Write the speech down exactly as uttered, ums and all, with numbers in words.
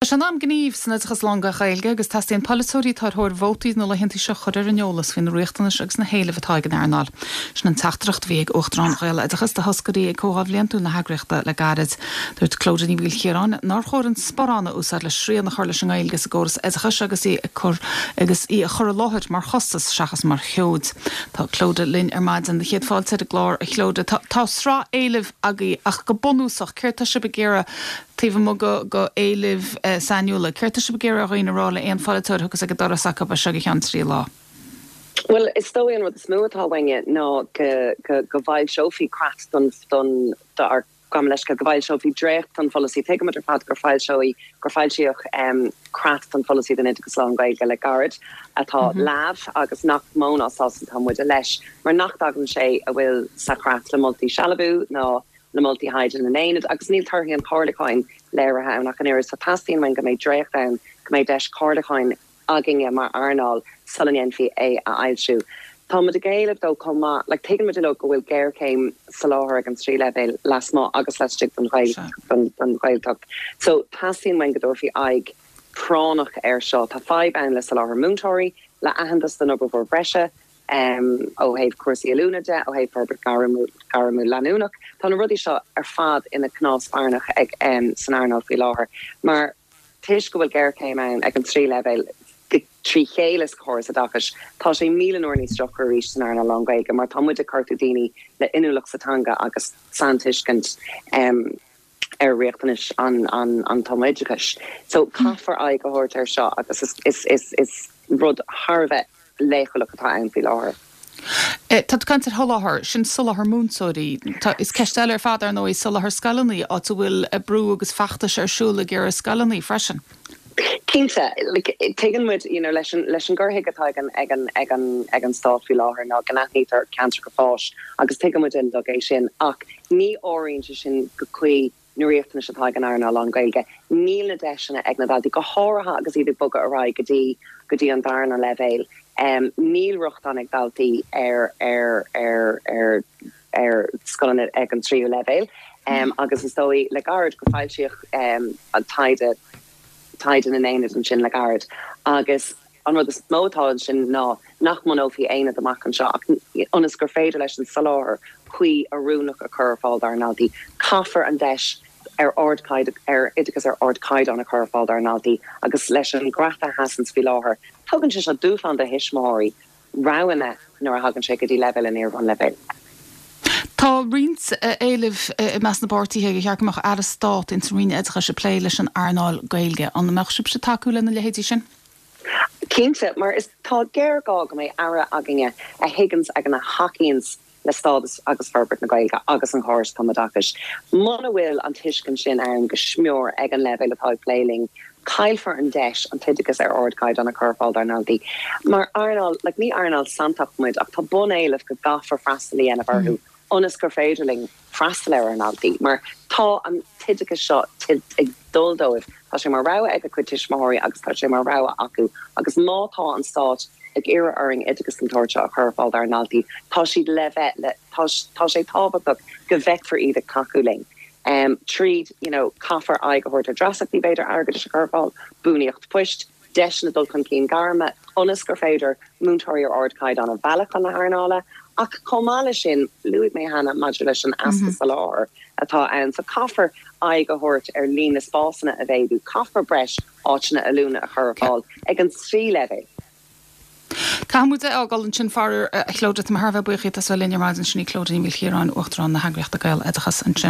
Tá sé in am gnímh san oideachas lán-Ghaeilge agus teastaíonn polaiteoirí atá ar thóir vótaí na laethanta seo chur ar an eolas faoi na riachtanais agus na héilimh atá ag an earnáil. Sin an teachtaireacht a bhí ag Uachtarán Ghaeloideachas do thoscairí ag Comhdháil Bhliantúil na heagraíochta le gairid. Dúirt Clodagh Ní Mhaoilchiaráin nár chóir an sparán a úsáid le srian a chur leis an nGaeilge sa gcóras oideachais agus í ag cur agus í a chur i láthair mar chostas seachas mar sheoid. Tá Clodagh linn ar maidin na chéad fáilte ar an gclár a Chlodagh. Tá, tá sraith éilimh agaibh ach go bunúsach céard tá sibh ag iarraidh taobh amuigh go go éilimh uh, sainiúla. Céard tá sibh ag iarraidh ar dhaoine rá le aon pholaiteoir agus ag an doras acu seo go ceann trí lá. Well is dóigh an rud is mó atá uainne ná go go go bhfoilseofaí creat don don do gam leis go bhfoilseofaí dréacht den pholasaí tuigimid ar fad gur foilsíodh gur foilsíodh um, creat don pholasaí den oideachas lán-Ghaeilge le gairid atá mm -hmm. leamh agus nach mó ná sásta tá muide leis mar nach dtagann sé a bhfuil sa chreat le moltaí Sealbhú ná na moltaí thaighde na n-aonad agus níl torthaí an chomhairliúcháin léirithe ann ach an oiread so teastaíonn uainn go mbeidh dréacht ann go mbeidh deis comhairliúcháin againne mar earnáil sula ndéanfaí é a fhoilsiú. Tá muid ag éileamh dó chomh maith le tuigimid go bhfuil géarchéim soláthair ag an trí leibhéal lasmuigh agus laistigh den Ghaeltacht. So teastaíonn uainn go dtabharfaí aghaidh práinneach air seo tá fadhb ann le soláthar múinteoirí le aitheantas don obair bhreise um, ó thaobh cúrsaí oiliúna de ó thaobh forbairt gairmiúil leanúnach. Tá na rudaí seo ar fad ina cnámh spairne ag um, san earnáil faoi láthair. Mar toisc go bhfuil géarchéim ann ag an trí leibhéal trí chéile sa chóras oideachais tá sé míle uair níos deacra arís san earnáil lán-Ghaeilge mar tá muid ag cuartú daoine le inniúlacht sa teanga agus saintuiscint um, ar riachtanais an an an tumoideachais. So caithfear aghaidh a thabhairt air seo agus is is is is rud thar a bheith leochaileach atá ann faoi láthair. Eh, tá caint ar sholáthar sin soláthar múinteoirí is ceist eile ar fad ar ndóigh soláthar scoileanna áit a bhfuil brú agus feachtais ar siúl ag iarraidh scoileanna freisin. Cinnte tuigeann muid you know, leis an leis an gcur chuige atá ag an ag an ag an ag an stát faoi láthair ná go n-aithnítear ceantracha fáis agus tuigeann muid uilig é sin ach ní áiríonn sé sin go cuí na riachtanais atá ag an earnáil lán-Ghaeilge. Níl na deiseanna ag na daltaí go háirithe agus iad ag bogadh ar aghaidh go dtí go dtí an darna leibhéal. Um, níl rochtain ag daltaí ar ar ar ar ar scoileanna ag an tríú leibhéal. Um, agus is dóigh le gairid go foilsíodh um, an taighde taighde na n-aonad ansin le gairid agus an rud is mó atá sin ná nach mbunófaí aonad amach anseo ach ionas gur féidir leis an soláthar cuí oiriúnach a chur ar fáil dár ndaltaí. Caithfear an deis ar ard ar oideachas ar ardchaighdeán a chur ar fáil dár ndaltaí agus leis an gcreat a sheasann faoi láthair. Tugann sé seo dúshlán do thuismitheoirí roghanna nuair a thagann sé go dtí leibhéal an iar-bhunleibhéil. Tá roinnt éilimh i measc na bpáirtithe gur cheart go mbeadh aire stáit ins an Roinn Oideachais ag plé leis an earnáil Gaeilge an mbeadh sibhse tacú lena leithéidí sin? Cinnte mar is tá géarghá go mbeidh aire againne a thuigeanns agus a thacaíonns le stádas agus forbairt na Gaeilge agus an chóras tumoideachais. Muna bhfuil an tuiscint sin ann go smior ag an leibhéal atá ag plé linn, caillfear an deis an t-oideachas ar ardchaighdeán a chur ar fáil dár ndaltaí. Mar earnáil like, ní earnáil santach muid ach tá bunéilimh go gcaithfear freastal a dhéanamh orthu. Mm. ionas gur féidir linn freastal ar ár ndaltaí, mar tá an t-oideachas seo ag dul dóibh Tá sé mar rogha ag a gcuid tuismitheoirí agus tá sé mar rogha acu agus má tá an stát ag iarraidh orainn oideachas den tsórt seo a chur ar fáil dár ndaltaí tá siad le bheith le tá sé tábhachtach go bhfeicfear iad ag tacú linn. Um, tríd you know, caithfear aghaidh a thabhairt ar dreasachtaí b'fhéidir airgeadais a chur ar fáil, buanaíocht poist, deiseanna dul chun cinn gairme, ionas gur féidir múinteoirí ar ardchaighdeán a mhealladh chun na hearnála, ach chomh maith leis sin luaigh mé cheana maidir leis an easpa soláthair atá ann, so caithfear aghaidh a thabhairt ar líon na spásanna a mhéadú, caithfear breis áiteanna oiliúna a chur ar fáil ag an trí leibhéal. Caithfidh muid é a fhágáil ansin faraor a Chlodagh tá mé thar a bheith buíoch as a bheith linn ar maidin sin í Clodagh Ní Mhaoilchiaráin Uachtarán na heagraíochta Gaeloideachas ansin.